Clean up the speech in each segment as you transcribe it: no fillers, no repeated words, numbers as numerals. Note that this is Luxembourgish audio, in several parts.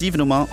7 Nummer.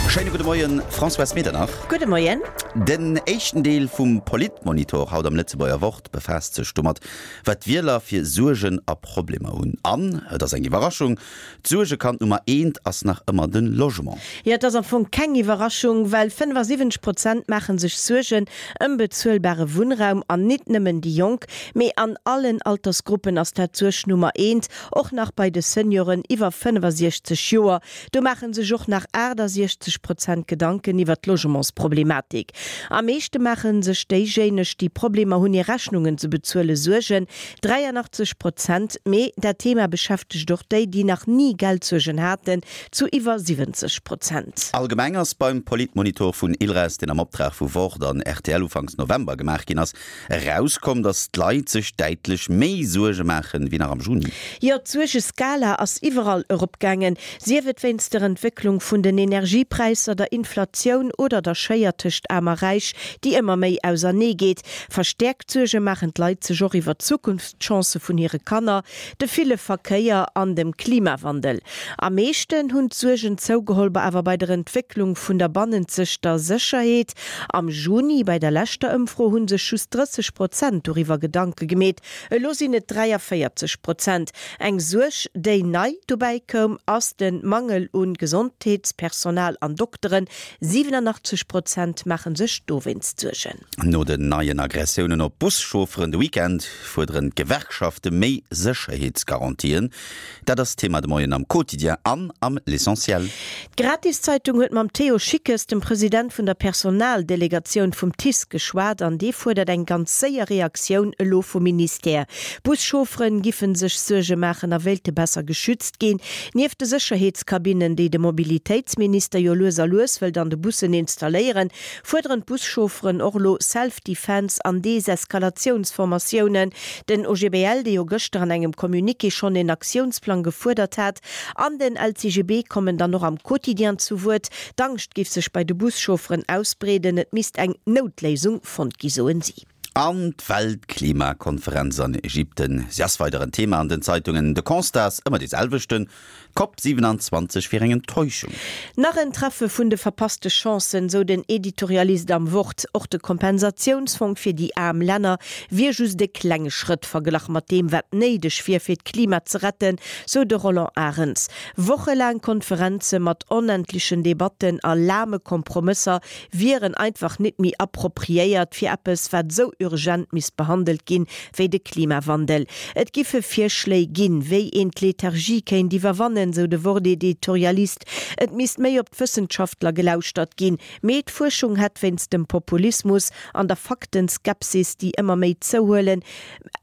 Schéine gudde Moien, Françoise Medernach. Gudde Moien. Den éischten Deel vum Politmonitor haut am Lëtzebuerger Wort befaasst sech domat, wat d'Wieler fir Suergen a Problemer hunn. An, et ass eng Iwwerraschung, d'Suergekand Nummer eent ass nach ëmmer de Logement. Jo, et ass am Fong keng Iwwerraschung, well 75 Prozent maache sech Suergen ëm bezuelbare Wunnraum. An nit nëmmen déi Jonk, mee an allen Altersgruppen ass dat d'Suerg Nummer eent. Och nach bei de Senioren iwwer 65 Joer, do maache sech och nach 68 Prozent Gedanken iwwer d'Logementsproblematik. Am meeschte maache sech déijéineg, déi Problemer hunn, hir Rechnungen ze bezuelen, Suergen, 83 Prozent. Mee dat Thema beschäftegt och déi, déi nach ni Geldsuergen haten, zu iwwer 70 Prozent. Allgemeng ass beim Politmonitor vun ILRES, deen am Optrag vu Wort an rtl ufanks November gemaach ginn ass, Erauskomm, datt d'Leit sech däitlech méi Suerge maachen, wéi nach am Juni. Jo, d'Suergeskala ass iwwerall eropgaangen, sief et wéinst der Entwécklung vun den Energiepräisser, der Inflatioun oder der Schéier tëscht Aarm a Räich, déi ëmmer méi ausernee geet. Verstäerkt Suerge maachen d'Leit sech och iwwer d'Zukunftschancë vun hire Kanner, de ville Verkéier an dem Klimawandel. Am meeschten hunn d'Suergen zougeholl awer bei der Entwécklung vun der bannenzegter Sécherheet. Am Juni, bei der leschter Ëmfro, hu sech just 30 Prozent doriwwer Gedanke gemeet, elo sinn et 43 Prozent. Eng Suerg, déi nei dobäi koum, ass de Mangel u Gesondheetspersonal an Dokteren, 87 Prozent maache sech dowéinst Suergen. No den neien Aggressiounen op Buschaufferen de Weekend fuerderen d'Gewerkschafte méi Sécherheetsgarantien. Dat ass Thema de Moien am Quotidien an am L'Essentiel. D'Gratiszeitung huet mam Théo Schickes, dem President vun der Personaldelegatioun vum TICE geschwat an dee fuerdert eng ganz séier Reaktioun elo vum Ministère. Buschaufferen giffen sech Suerge maachen a wéilte besser geschützt ginn. Nieft de Sécherheetskabinnen, déi de Mobilitéitsminister jo lues a lues wëllt an de Bussen installéieren, fuerderen d'Buschaufferen och elo Self-Defense an Deseskalatiounsformatiounen. Den OGBL, dee jo gëschter an engem Communiqué schonn een Aktiounsplang gefuerdert hat, an den LCGB kommen dann och am Quotidien zu Wuert. D'Angscht géif sech bei de Buschaufferen ausbreeden, et misst eng Noutléisung fonnt gi, soen si. An d'Weltklimakonferenz an Ägypten, si ass weider en Thema an den Zeitungen. De Constat ass ëmmer dee selwechten, D'Cop 27 wier eng Enttäuschung. Nach en Treffe vun de verpasste Chancen, sou den Editorialist am Wort. Och de Kompensatiounsfong fir déi aarm Länner wier just e klenge Schrëtt verglach mat deem, wat néideg wier, fir d'Klima ze retten, sou de Roland Arens. Wochelaang Konferenze mat onendlechen Debatten a lahme Kompromësser wieren einfach nit méi appropriéiert fir eppes, wat esou urgent misst behandelt ginn, wéi de Klimawandel. Et giffe Virschléi ginn, wéi een d'Lethargie kéint iwwerwannen, sou de Wort-Editorialist. Et misst méi op d'Wëssenschaftler gelauschtert ginn. Mee d'Fuerschung hätt wéinst dem Populismus an der Faktenskepsis, déi ëmmer méi zouhuelen,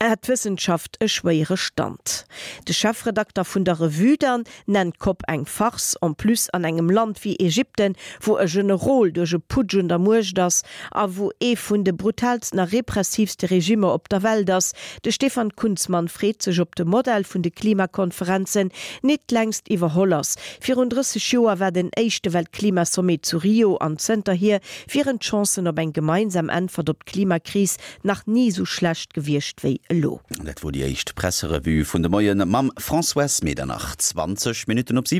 hätt d'Wëssenschaft e schwéiere Stand. De Chefredakter vun der Revue dann nennt d'Cop eng Farce, en plus an engem Land wéi Ägypten, wou e Generol duerch e Putsch un der Muecht ass a wou ee vun de brutaalsten a repressiivste Regimmer op der Welt ass. De Stefan Kunzmann freet sech, ob de Modell vun de Klimakonferenzen nit längst iwwerholl ass. Virun 30 Joer war den éischte Weltklimasommet zu Rio an zënterhier wieren d'Chancen op eng gemeinsam Äntwert op d'Klimakris nach ni sou schlecht gewiescht wéi elo. Dat wor déi éischt Presserevue vun de Moien mam Françoise Medernach. 20 Minutten op 7.